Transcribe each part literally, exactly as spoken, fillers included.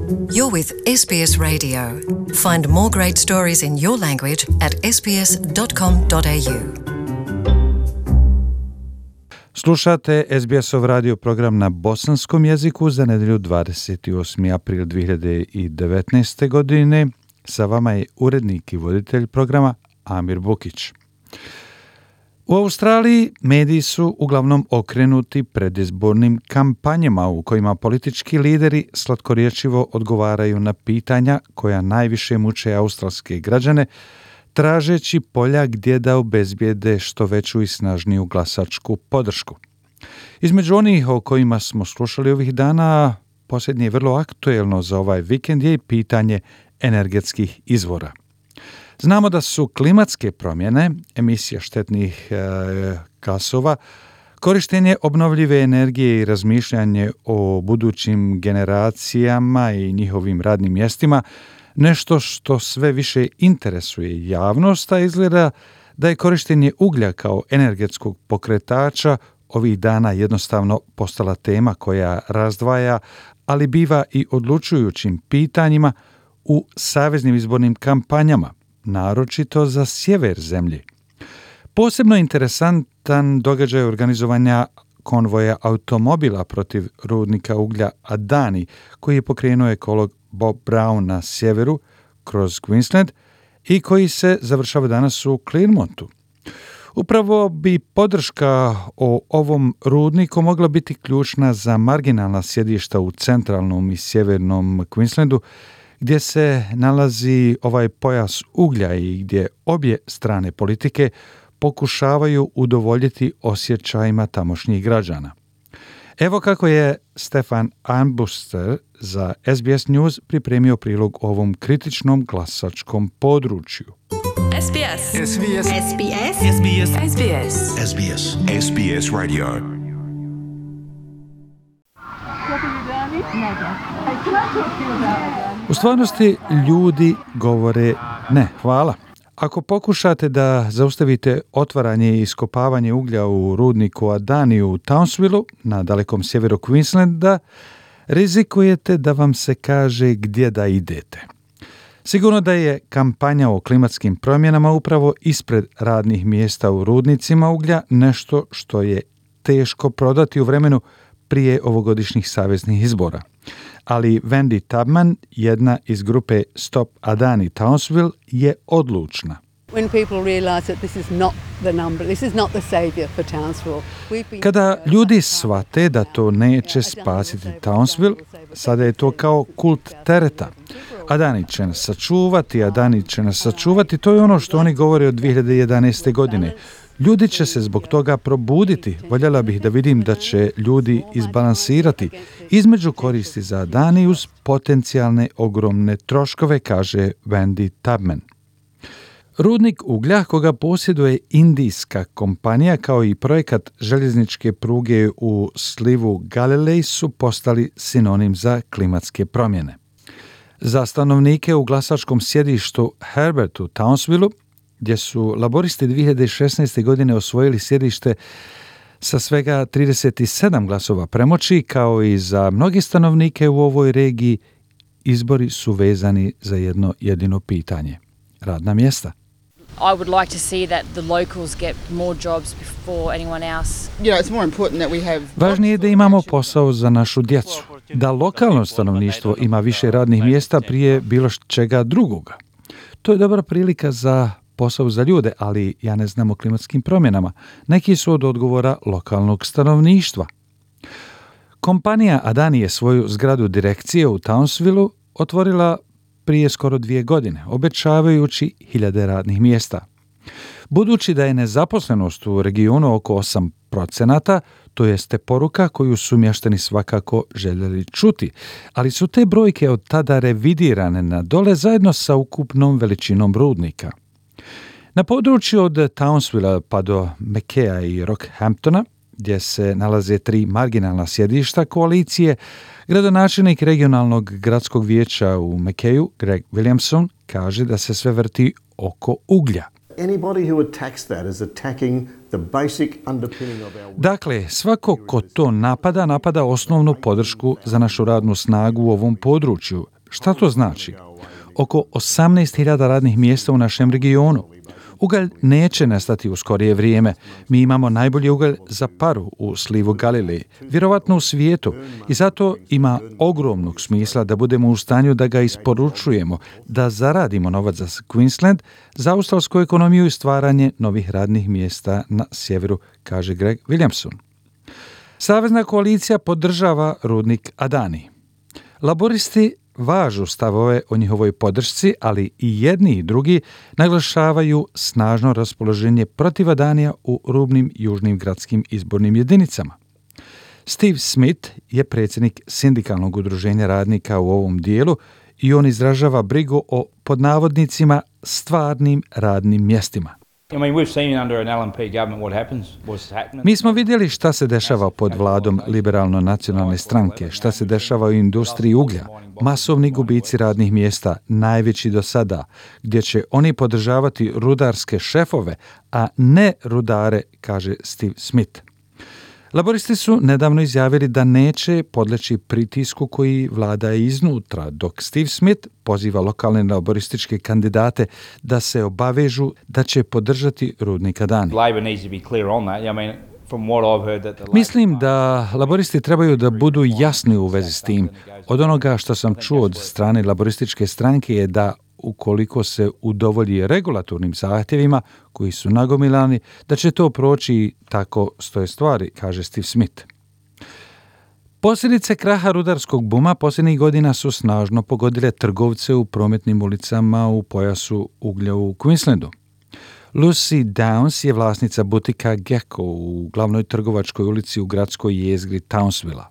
You're with S B S Radio. Find more great stories in your language at s b s dot com dot a u. Slušate S B S-ov radio program na bosanskom jeziku za nedjelju dvadeset osmi april dvije hiljade devetnaeste. godine. Sa vama je urednik i voditelj programa Amir Bukić. U Australiji mediji su uglavnom okrenuti predizbornim kampanjama u kojima politički lideri slatkorječivo odgovaraju na pitanja koja najviše muče australske građane, tražeći polja gdje da obezbijede što veću i snažniju glasačku podršku. Između onih o kojima smo slušali ovih dana, posljednje je vrlo aktuelno za ovaj vikend je i pitanje energetskih izvora. Znamo da su klimatske promjene, emisija štetnih e, gasova, korištenje obnovljive energije i razmišljanje o budućim generacijama i njihovim radnim mjestima nešto što sve više interesuje javnost, a izgleda da je korištenje uglja kao energetskog pokretača ovih dana jednostavno postala tema koja razdvaja, ali biva i odlučujućim pitanjima u saveznim izbornim kampanjama, naročito za sjever zemlje. Posebno interesantan događaj organizovanja konvoja automobila protiv rudnika uglja Adani, koji je pokrenuo ekolog Bob Brown na sjeveru kroz Queensland i koji se završava danas u Clearmontu. Upravo bi podrška o ovom rudniku mogla biti ključna za marginalna sjedišta u centralnom i sjevernom Queenslandu, gdje se nalazi ovaj pojas uglja i gdje obje strane politike pokušavaju udovoljiti osjećajima tamošnjih građana. Evo kako je Stefan Armbuster za S B S News pripremio prilog o ovom kritičnom glasačkom području. S B S. S B S. S B S. S B S. S B S. S B S. S B S Radio. U stvarnosti ljudi govore ne, hvala. Ako pokušate da zaustavite otvaranje i iskopavanje uglja u rudniku Adani u Townsvilleu, na dalekom sjeveru Queenslanda, rizikujete da vam se kaže gdje da idete. Sigurno da je kampanja o klimatskim promjenama upravo ispred radnih mjesta u rudnicima uglja nešto što je teško prodati u vremenu prije ovogodišnjih saveznih izbora. Ali Wendy Tubman, jedna iz grupe Stop Adani Townsville, je odlučna. Kada ljudi shvate da to neće spasiti Townsville, sada je to kao kult tereta. Adani će nas sačuvati, Adani će nas sačuvati, to je ono što oni govore od dvije hiljade jedanaeste. godine. Ljudi će se zbog toga probuditi. Voljela bih da vidim da će ljudi izbalansirati između koristi za Adani uz potencijalne ogromne troškove, kaže Wendy Tubman. Rudnik uglja koga posjeduje indijska kompanija kao i projekat željezničke pruge u slivu Galilee su postali sinonim za klimatske promjene. Za stanovnike u glasačkom sjedištu Herbert u Townsvilleu, gdje su laboristi dvije hiljade šesnaeste. godine osvojili sjedište sa svega trideset sedam glasova premoći, kao i za mnogi stanovnike u ovoj regiji, izbori su vezani za jedno jedino pitanje – radna mjesta. I would like to see that the locals get more jobs before anyone else. You know, it's more important that we have. Važnije je da imamo posao za našu djecu, da lokalno stanovništvo ima više radnih mjesta prije bilo čega drugoga. To je dobra prilika za posao za ljude, ali ja ne znam o klimatskim promjenama. Neki su od odgovora lokalnog stanovništva. Kompanija Adani je svoju zgradu direkcije u Townsvilleu otvorila prije skoro dvije godine, obećavajući hiljade radnih mjesta. Budući da je nezaposlenost u regionu oko osam procenata, to jeste poruka koju su mještani svakako željeli čuti, ali su te brojke od tada revidirane na dole zajedno sa ukupnom veličinom rudnika. Na području od Townsvillea pa do Mackaya i Rockhamptona, gdje se nalaze tri marginalna sjedišta koalicije, gradonačelnik regionalnog gradskog vijeća u Mackayu, Greg Williamson, kaže da se sve vrti oko uglja. Dakle, svako ko to napada, napada osnovnu podršku za našu radnu snagu u ovom području. Šta to znači? Oko osamnaest hiljada radnih mjesta u našem regionu. Ugalj neće nestati u skorije vrijeme. Mi imamo najbolji ugalj za paru u slivu Galileji, vjerovatno u svijetu, i zato ima ogromnog smisla da budemo u stanju da ga isporučujemo, da zaradimo novac za Queensland, za australsku ekonomiju i stvaranje novih radnih mjesta na sjeveru, kaže Greg Williamson. Savezna koalicija podržava rudnik Adani. Laboristi važu stavove o njihovoj podršci, ali i jedni i drugi naglašavaju snažno raspoloženje protiv Adanija u rubnim južnim gradskim izbornim jedinicama. Steve Smith je predsjednik sindikalnog udruženja radnika u ovom dijelu i on izražava brigu o, pod navodnicima, stvarnim radnim mjestima. Mi smo vidjeli šta se dešava pod vladom liberalno-nacionalne stranke, šta se dešava u industriji uglja, masovni gubici radnih mjesta, najveći do sada, gdje će oni podržavati rudarske šefove, a ne rudare, kaže Steve Smith. Laboristi su nedavno izjavili da neće podleći pritisku koji vlada iznutra, dok Steve Smith poziva lokalne laborističke kandidate da se obavežu da će podržati rudnik Adani. Mislim da laboristi trebaju da budu jasni u vezi s tim. Od onoga što sam čuo od strane laborističke stranke je da ukoliko se udovolji regulatornim zahtjevima koji su nagomilani, da će to proći i tako stoje stvari, kaže Steve Smith. Posljedice kraha rudarskog buma posljednjih godina su snažno pogodile trgovce u prometnim ulicama u pojasu uglja u Queenslandu. Lucy Downs je vlasnica butika Gecko u glavnoj trgovačkoj ulici u gradskoj jezgri Townsvilla.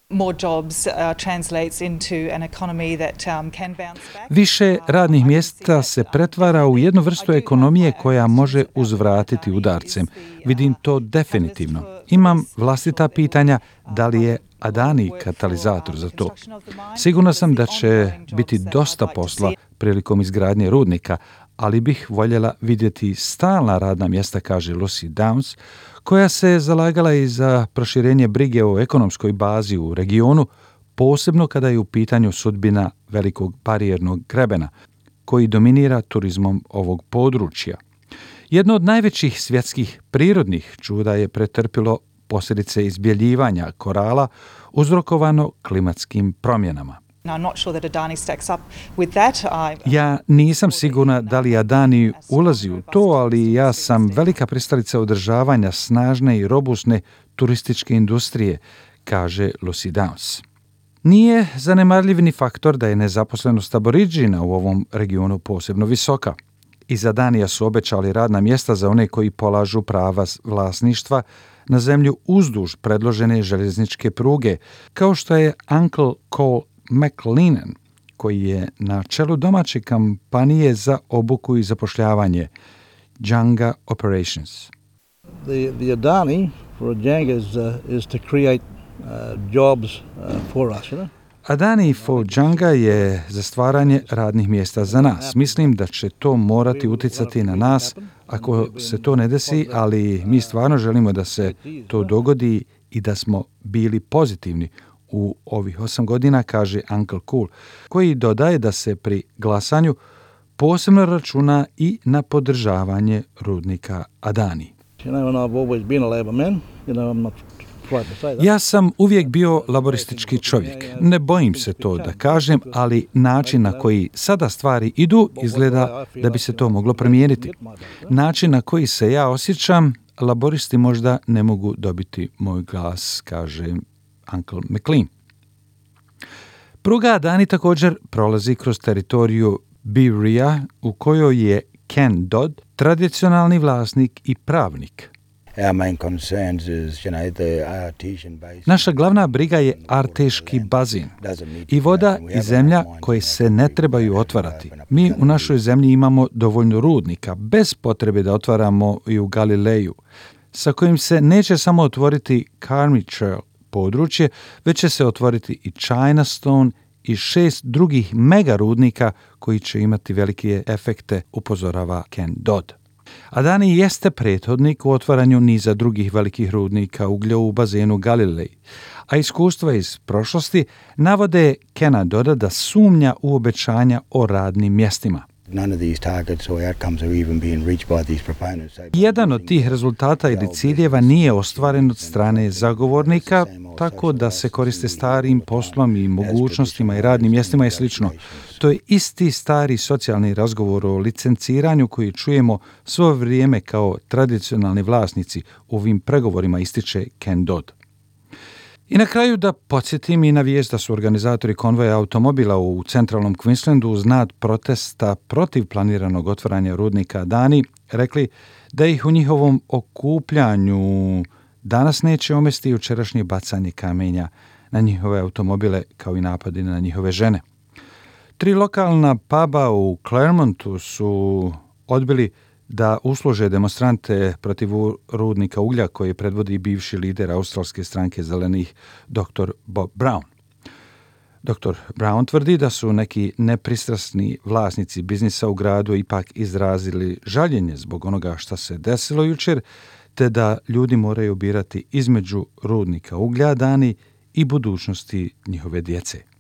More jobs uh, translates into an economy that um, can bounce back. Više radnih mjesta se pretvara u jednu vrstu ekonomije koja može uzvratiti udarcem. Vidim to definitivno. Imam vlastita pitanja da li je Adani katalizator za to. Sigurna sam da će biti dosta posla prilikom izgradnje rudnika, ali bih voljela vidjeti stalna radna mjesta, kaže Lucy Downs, koja se zalagala i za proširenje brige o ekonomskoj bazi u regionu, posebno kada je u pitanju sudbina velikog barijernog grebena, koji dominira turizmom ovog područja. Jedno od najvećih svjetskih prirodnih čuda je pretrpilo posljedice izbjeljivanja korala uzrokovano klimatskim promjenama. Ja nisam sigurna da li Adani ulazi u to, ali ja sam velika pristalica održavanja snažne i robustne turističke industrije, kaže Lucy Downs. Nije zanemarljiv ni faktor da je nezaposlenost Aboridžina u ovom regionu posebno visoka. Iz Adanija su obećali radna mjesta za one koji polažu prava vlasništva na zemlju uzduž predložene željezničke pruge, kao što je Uncle Cole McLennan, koji je na čelu domaće kampanije za obuku i zapošljavanje Janga Operations. The, the Adani for Janga is, uh, is to create uh, jobs uh, for us, you know? Adani for Janga je za stvaranje radnih mjesta za nas. Mislim da će to morati utjecati na nas ako se to ne desi, ali mi stvarno želimo da se to dogodi i da smo bili pozitivni u ovih osam godina, kaže Uncle Cool, koji dodaje da se pri glasanju posebno računa i na podržavanje rudnika Adani. Ja sam uvijek bio laboristički čovjek. Ne bojim se to da kažem, ali način na koji sada stvari idu izgleda da bi se to moglo promijeniti. Način na koji se ja osjećam, laboristi možda ne mogu dobiti moj glas, kaže Uncle McLean. Pruga Adani također prolazi kroz teritoriju Berea, u kojoj je Ken Dodd tradicionalni vlasnik i pravnik. Naša glavna briga je Arteški bazin i voda i zemlja koje se ne trebaju otvarati. Mi u našoj zemlji imamo dovoljno rudnika, bez potrebe da otvaramo i u Galileju, sa kojim se neće samo otvoriti Carmichael područje, već će se otvoriti i Chinastone i šest drugih mega rudnika koji će imati velike efekte, upozorava Ken Dodd. Adani jeste prethodnik u otvaranju niza drugih velikih rudnika uglja u bazenu Galilej, a iskustva iz prošlosti navode Kena Dodda da sumnja u obećanja o radnim mjestima. Jedan od tih rezultata ili ciljeva nije ostvaren od strane zagovornika, tako da se koriste starim poslom i mogućnostima i radnim mjestima i slično. To je isti stari socijalni razgovor o licenciranju koji čujemo svo vrijeme kao tradicionalni vlasnici u ovim pregovorima, ističe Ken Dodd. I na kraju da podsjetim i na vijest da su organizatori konvoja automobila u centralnom Queenslandu uz znak protesta protiv planiranog otvaranja rudnika Adani rekli da ih u njihovom okupljanju danas neće omesti jučerašnje bacanje kamenja na njihove automobile kao i napadi na njihove žene. Tri lokalna puba u Claremontu su odbili da usluže demonstrante protiv rudnika uglja koji predvodi bivši lider australske stranke zelenih doktor Bob Brown. doktor Brown tvrdi da su neki nepristrasni vlasnici biznisa u gradu ipak izrazili žaljenje zbog onoga što se desilo jučer, te da ljudi moraju birati između rudnika uglja Adani i budućnosti njihove djece.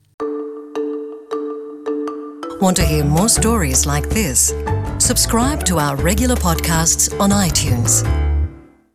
Want to hear more stories like this? Subscribe to our regular podcasts on iTunes.